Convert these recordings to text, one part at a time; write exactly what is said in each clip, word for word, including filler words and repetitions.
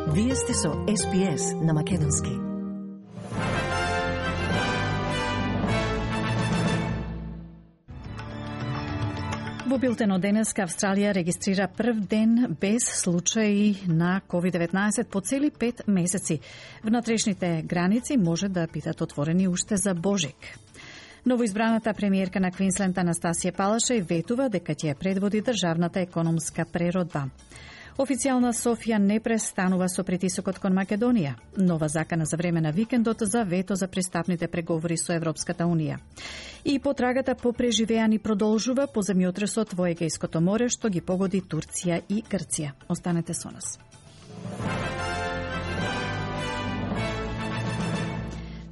Вие сте со Ес Би Ес на Македонски. Во билтенот денеска Австралија регистрира прв ден без случаи на ковид деветнаесет по цели пет месеци. Внатрешните граници може да бидат отворени уште за Божик. Новоизбраната премиерка на Квинсленд Анастасија Палашај ветува дека ќе предводи државната економска преродба. Официјална Софија не престанува со притисокот кон Македонија. Нова закана за време на викендот за вето за пристапните преговори со Европската Унија. И потрагата по преживеани продолжува по земјотресот во Егејското море што ги погоди Турција и Грција. Останете со нас.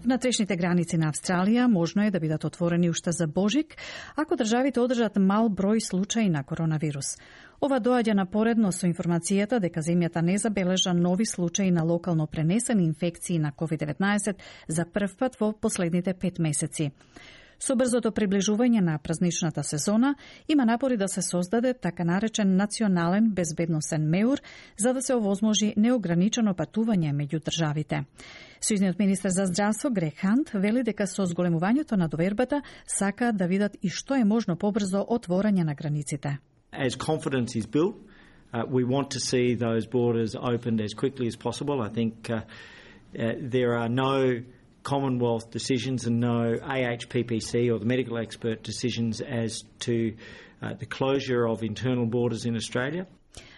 Внатрешните граници на Австралија можно е да бидат отворени уште за Божик, ако државите одржат мал број случаи на коронавирус. Ова доаѓа напоредно со информацијата дека земјата не забележа нови случаи на локално пренесени инфекции на ковид деветнаесет за прв пат во последните пет месеци. Со брзото приближување на празничната сезона, има напори да се создаде така наречен национален безбедносен меур за да се овозможи неограничено патување меѓу државите. Сојузниот министер за здравство Грег Хант вели дека со зголемувањето на довербата сакаат да видат и што е можно побрзо отворање на границите. As confidence is built, uh, we want to see those borders opened as quickly as possible. I think uh, uh, there are no Commonwealth decisions and no A H P P C or the medical expert decisions as to uh, the closure of internal borders in Australia.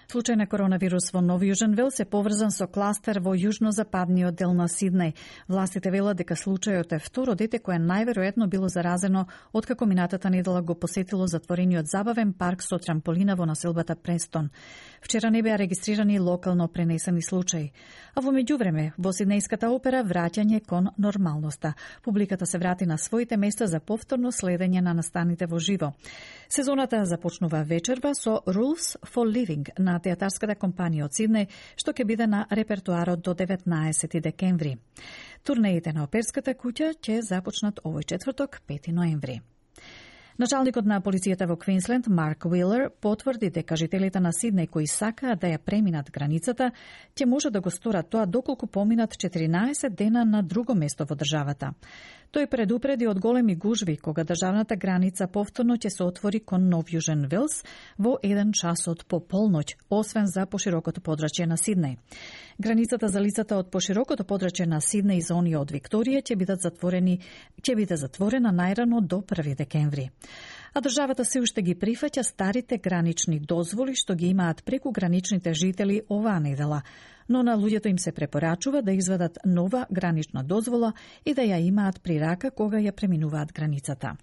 Случај на коронавирус во Нов Јужен Велс е поврзан со кластер во јужно-западниот дел на Сиднеј. Властите велат дека случајот е второ дете кое најверојатно било заразено откако минатата недела го посетило затворениот забавен парк со трамполина во населбата Престон. Вчера не беа регистрирани локално пренесени случаи. А во меѓувреме, во Сиднејската опера враќање кон нормалноста. Публиката се врати на своите места за повторно следење на настаните во живо. Сезоната започнува вечерва со Rules for Living на театарската компанија од Сиднеј, што ќе биде на репертуарот до деветнаесети декември. Турнеите на оперската куќа ќе започнат овој четврток, пети ноември. Началникот на полицијата во Квинсленд, Марк Уилер, потврди дека жителите на Сиднеј кои сакаат да ја преминат границата, ќе може да го сторат тоа доколку поминат четиринаесет дена на друго место во државата. Тој предупреди од големи гужви кога државната граница повторно ќе се отвори кон Нов Јужен Велс во еден часот по полноќ, освен за поширокото подрачје на Сиднеј. Границата за лицата од поширокото подрачје на Сиднеј и за оние од Викторија ќе бидат затворени, ќе биде затворена најрано до први декември. А државата се уште ги прифаќа старите гранични дозволи што ги имаат преку граничните жители оваа недела, но на луѓето им се препорачува да извадат нова гранична дозвола и да ја имаат при рака кога ја преминуваат границата.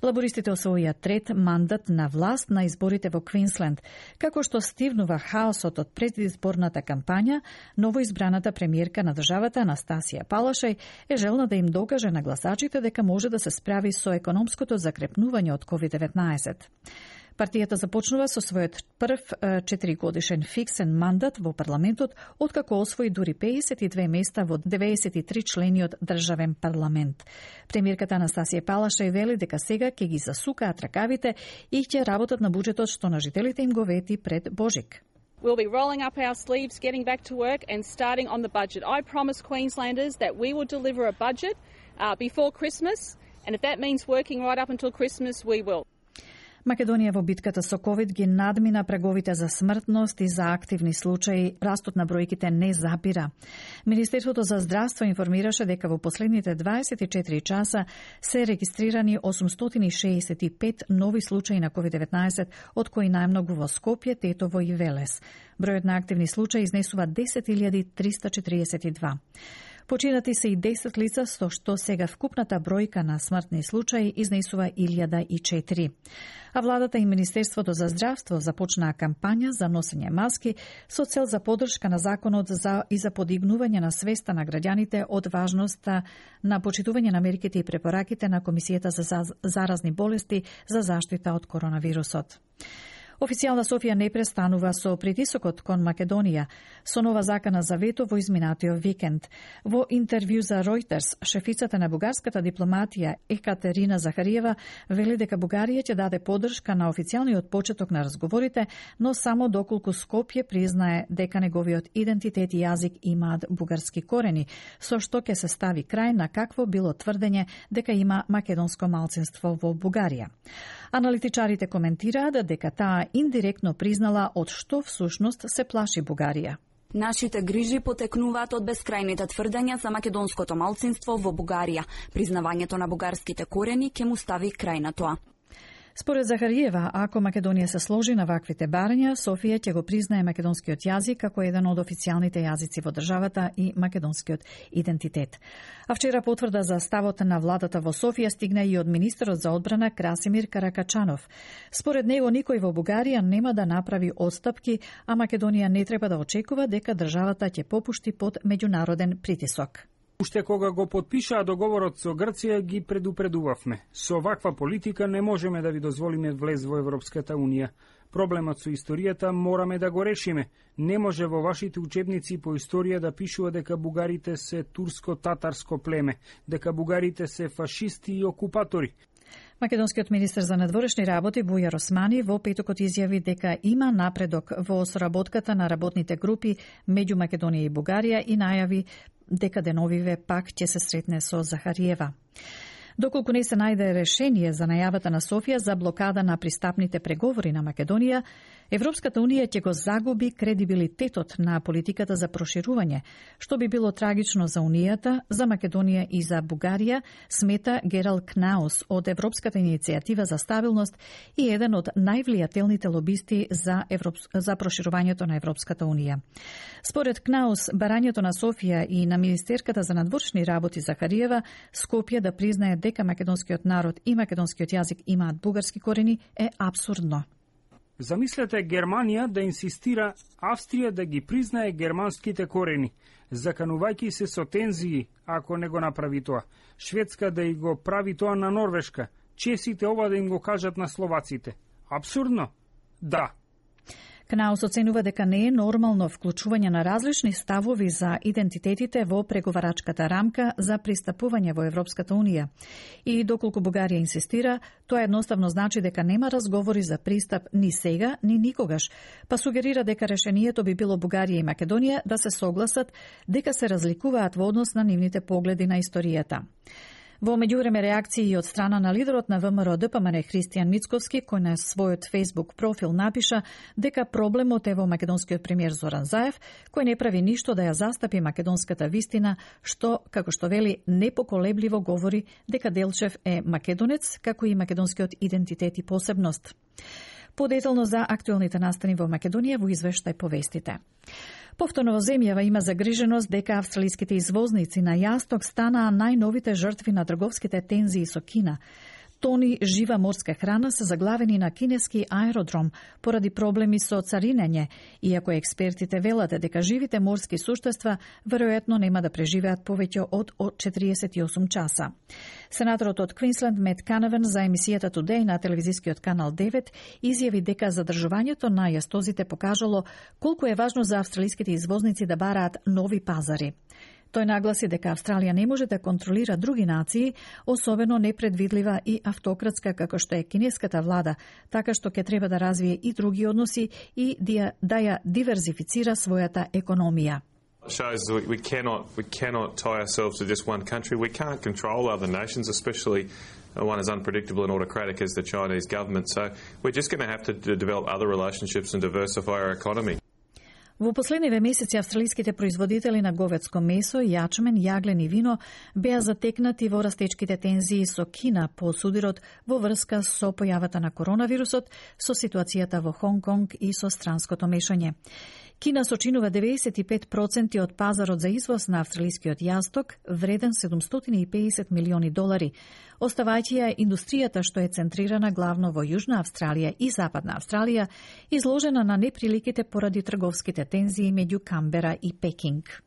Лабористите освоија трет мандат на власт на изборите во Квинсленд. Како што стивнува хаосот од предизборната кампања, новоизбраната премиерка на државата Анастасија Палашај е желна да им докаже на гласачите дека може да се справи со економското закрепнување од ковид деветнаесет. Партијата започнува со својот прв четиригодишен фиксен мандат во парламентот, откако освои дури пеесет и две места во деветдесет и три члениот државен парламент. Премиерката Анастасија Палашај вели дека сега ќе ги засукаат ракавите и ќе работат на буџетот што на жителите им го вети пред Божик. We'll be rolling up our sleeves, getting back to work and starting on the budget. I promise Queenslanders that we will deliver a budget uh, before Christmas, and if that means working right up until Christmas, we will. Македонија во битката со ковид ги надмина праговите за смртност и за активни случаи. Растот на бројките не запира. Министерството за здравство информираше дека во последните дваесет и четири часа се регистрирани осумстотини шеесет и пет нови случаи на ковид деветнаесет, од кои најмногу во Скопје, Тетово и Велес. Бројот на активни случаи изнесува десет илјади триста четириесет и два. Починати се и десет лица, со што сега вкупната бројка на смртни случаи изнесува илјада и четири. А владата и Министерството за здравство започнаа кампања за носење маски со цел за поддршка на законот за и за подигнување на свеста на граѓаните од важноста на почитување на мерките и препораките на Комисијата за заразни болести за заштита од коронавирусот. Официјална Софија не престанува со притисокот кон Македонија, со нова закана за вето во изминатиот викенд. Во интервју за Reuters, шефицата на бугарската дипломатија Екатерина Захариева вели дека Бугарија ќе даде поддршка на официјалниот почеток на разговорите, но само доколку Скопје признае дека неговиот идентитет и јазик имаат бугарски корени, со што ќе се стави крај на какво било тврдење дека има македонско малцинство во Бугарија. Аналитичарите коментираат дека таа индиректно признала од што всушност се плаши Бугарија. Нашите грижи потекнуваат од бескрајните тврдења за македонското малцинство во Бугарија. Признавањето на бугарските корени ќе му стави крај на тоа. Според Захариева, ако Македонија се сложи на ваквите барања, Софија ќе го признае македонскиот јазик како еден од официјалните јазици во државата и македонскиот идентитет. А вчера потврда за ставот на владата во Софија стигна и од министерот за одбрана Красимир Каракачанов. Според него никој во Бугарија нема да направи отстапки, а Македонија не треба да очекува дека државата ќе попушти под меѓународен притисок. Уште кога го потпишаа договорот со Грција, ги предупредувавме. Со ваква политика не можеме да ви дозволиме влез во Европската Унија. Проблемот со историјата мораме да го решиме. Не може во вашите учебници по историја да пишува дека бугарите се турско-татарско племе, дека бугарите се фашисти и окупатори. Македонскиот министер за надворешни работи Бујар Османи во петокот изјави дека има напредок во соработката на работните групи меѓу Македонија и Бугарија и најави дека деновиве пак ќе се сретне со Захариева. Доколку не се најде решение за најавата на Софија за блокада на пристапните преговори на Македонија, Европската Унија ќе го загуби кредибилитетот на политиката за проширување, што би било трагично за Унијата, за Македонија и за Бугарија, смета Герал Кнаус од Европската иницијатива за стабилност и еден од највлијателните лобисти за, Европ... за проширувањето на Европската Унија. Според Кнаус, барањето на Софија и на министерката за надворешни работи Захариева, Скопје да признае дека македонскиот народ и македонскиот јазик имаат бугарски корени е апсурдно. Замислете Германија да инсистира Австрија да ги признае германските корени, заканувајќи се со тензии ако не го направи тоа. Шведска да и го прави тоа на Норвешка, чесите ова да им го кажат на словаците. Апсурдно? Да. Кнаус оценува дека не е нормално вклучување на различни ставови за идентитетите во преговарачката рамка за пристапување во Европската Унија. И доколку Бугарија инсистира, тоа едноставно значи дека нема разговори за пристап ни сега, ни никогаш, па сугерира дека решението би било Бугарија и Македонија да се согласат дека се разликуваат во однос на нивните погледи на историјата. Во меѓувреме реакции од страна на лидерот на ВМРО Д П М Н Христијан Мицковски, кој на својот Facebook профил напиша дека проблемот е во македонскиот премиер Зоран Заев, кој не прави ништо да ја застапи македонската вистина, што, како што вели, непоколебливо говори дека Делчев е македонец, како и македонскиот идентитет и посебност. Подетално за актуелните настани во Македонија во извештај повестите. Повторно во земјава има загриженост дека австралиските извозници на јасток станаа најновите жртви на трговските тензии со Кина. Тони жива морска храна се заглавени на кинески аеродром поради проблеми со царинење, иако експертите велат дека живите морски суштества веројатно нема да преживеат повеќе од четириесет и осум часа. Сенаторот од Квинсленд Мет Канавен за емисијата Today на телевизискиот канал девет изјави дека задржувањето на јастозите покажало колку е важно за австралиските извозници да бараат нови пазари. Тој нагласи дека Австралија не може да контролира други нации, особено непредвидлива и автократска како што е кинеската влада, така што ќе треба да развие и други односи и да ја диверзифицира својата економија. Shows that we cannot we cannot tie ourselves to just one country. We can't control other nations, especially one as unpredictable and autocratic as the Chinese government. So we're just going to have to develop other relationships and diversify our economy. Во последниве месеци австралиските производители на говедско месо, јачмен, јаглен и вино беа затекнати во растечките тензии со Кина по судирот во врска со појавата на коронавирусот, со ситуацијата во Хонг Конг и со странското мешање. Кина сочинува деветдесет и пет проценти од пазарот за извоз на австралискиот јасток, вреден седумстотини и педесет милиони долари, оставајќи ја индустријата што е центрирана главно во Јужна Австралија и Западна Австралија, изложена на неприликите поради трговските тензии меѓу Камбера и Пекинг.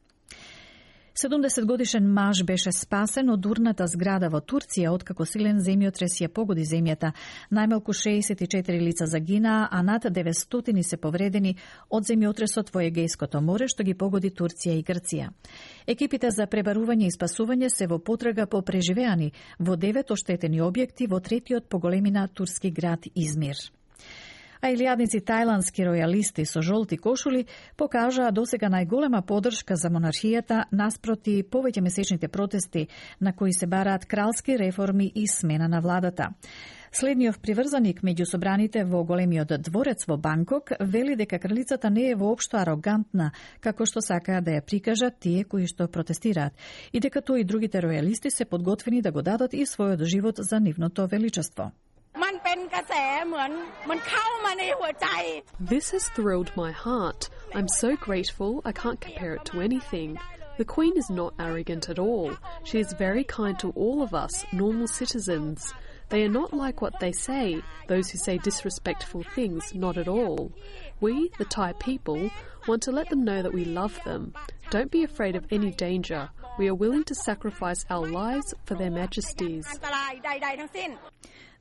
седумдесет годишен маж беше спасен од урната зграда во Турција откако силен земјотрес ја погоди земјата. Најмалку шеесет и четири лица загинаа, а над деветстотини се повредени од земјотресот во Егејското море што ги погоди Турција и Грција. Екипите за пребарување и спасување се во потрага по преживеани во девет оштетени објекти во третиот по големина турски град Измир. А илјадници тајландски ројалисти со жолти кошули покажаа досега најголема поддршка за монархијата наспроти повеќе месечните протести на кои се бараат кралски реформи и смена на владата. Следниот приврзаник меѓу собраните во големиот дворец во Банкок вели дека кралицата не е воопшто арогантна, како што сакаат да ја прикажат тие кои што протестираат, и дека тој и другите ројалисти се подготвени да го дадат и својот живот за нивното величество. This has thrilled my heart. I'm so grateful I can't compare it to anything. The Queen is not arrogant at all. She is very kind to all of us, normal citizens. They are not like what they say, those who say disrespectful things, not at all. We, the Thai people, want to let them know that we love them. Don't be afraid of any danger. We are willing to sacrifice our lives for their majesties.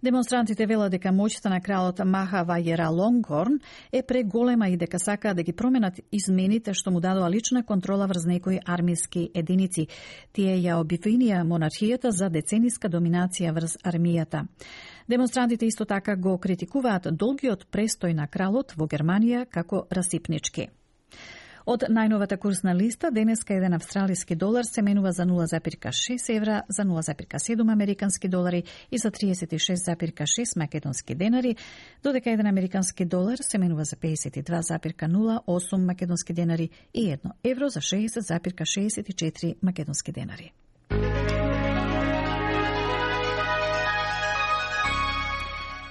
Демонстрантите велат дека моќта на кралот Маха Вајиралонгкорн е преголема и дека сакаат да ги променат измените што му дадоа лична контрола врз некои армиски единици. Тие ја обвинија монархијата за децениска доминација врз армијата. Демонстрантите исто така го критикуваат долгиот престој на кралот во Германија како расипнички. Од најновата курсна листа, денеска еден австралиски долар се менува за нула запирка шест евра, за нула запирка седум американски долари и за триесет и шест запирка шест македонски денари, додека еден американски долар се менува за пеесет и два запирка нула осум македонски денари и едно евро за шеесет запирка шеесет и четири македонски денари.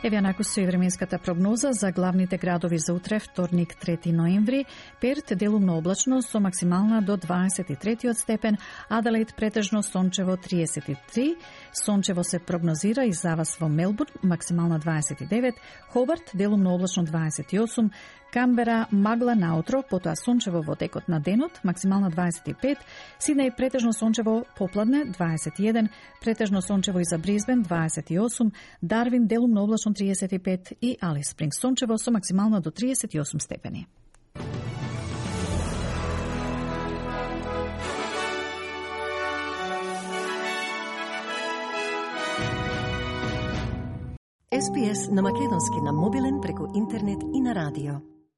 Еве анаку со временската прогноза за главните градови за утре, вторник, трети ноември. Перт делумно облачно со максимална до дваесет и трети степен, Аделаид претежно сончево триесет и три, сончево се прогнозира и за вас во Мелбурн, максимална дваесет и девет, Хобарт делумно облачно дваесет и осум, Камбера магла наутро, потоа сончево во текот на денот, максимална дваесет и пет, Сиднеј претежно сончево попладне дваесет и еден, претежно сончево и за Бризбен дваесет и осум, Дарвин делумно облачно триесет и пет и Алис Спрингс сончево со максимално до триесет и осум степени. Ес Би Ес на македонски на мобилен преку интернет и на радио.